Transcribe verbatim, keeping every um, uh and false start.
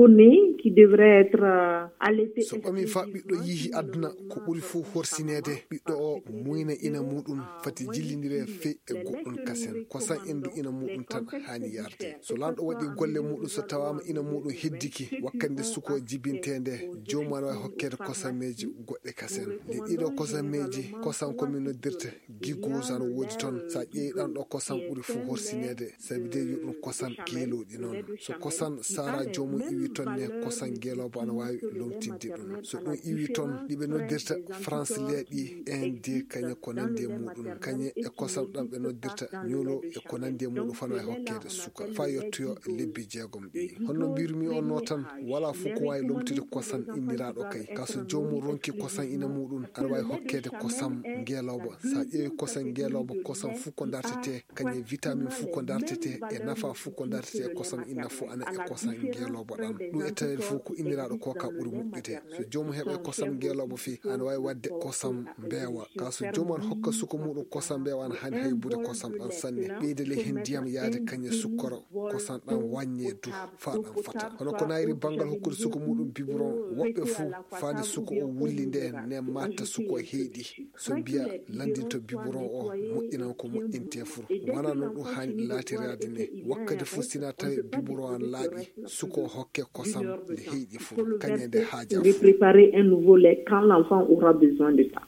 nouveau-né qui devrait être euh, allaité. So ɓami fa ɓiɗɗo yihi aduna, ko ɓuri fuu horsineede ɓiɗɗo o muyna ina muɗum, fati jillindire fey e goɗɗum kasen. Kosan endu ina muɗum tan haani yarde. So lanɗo waɗi golle muɗum, so tawama ina muɗum heddiki, wakkande suko jibinteende, joomu ana wawi hokkeede kosameeji goɗɗe kasen. Nde ɗiɗo kosameeji, kosan ko min noddirta gigose ana woodi toon. Sa ƴeewi ɗan ɗo, kosan ɓuri fuu horsineede, sabi de yo ɗum kosan geelooɗi noon. So kosan sara joomum iwi toon ne, kosan geeloobo ana waawi lomtinde ɗum. So ɗum iwi toon, ɗi ɓe noddirta France leeɗi, inde, kañe ko nandi e muɗum, kañe e kosan ɗan ɓe noddirta ñuulo e ko nandi e muɗum fana e hokkeede suka fa yottoyo lebbi jeegom ɗi. Honno mbirumi on no tan, wala fof ko waawi lomtude kosan inniraaɗo kay. Ka so joomum ronki kosan ina muɗum, ana waawi hokkeede kosan ngeelooba. Sa ƴeewi kosan ngeelooba, kosan fof ko dartete, kañe vitamin fof ko dartete, e nafa fof ko dartete e kosan inna fof ana e kosan ngeelooba ɗan. Ɗum e taweede fof ko inniraaɗo ko ka ɓuri moƴƴude. So joomum heɓa kosan ngeelooba fii, ana waawi waɗde kosan mbeewa. Ka so joomum ana hokka suka muɗum kosan mbeewa, ana haani haybude kosan ɗan sanne. Ɓeyda ley heen ndiyam yaade kañe sukkoro, kosan ɗan waññe du fa ɗan fata. Hono ko nayri banngal hokkude suka muɗum biberon, woɓɓe fof faade suka o wulli nde ne matta suka o heyɗi. So mbiya lanndinto biberon o moƴƴinan ko moƴƴinte fof. Wona noon ɗum haani laatiraade ne. Wakkati fof sina tawi biberon an laaɓi, suka o hokke kosan nde heyɗi fof, kañe nde haaja De fof. Préparer un nouveau lait quand l'enfant aura besoin de ça.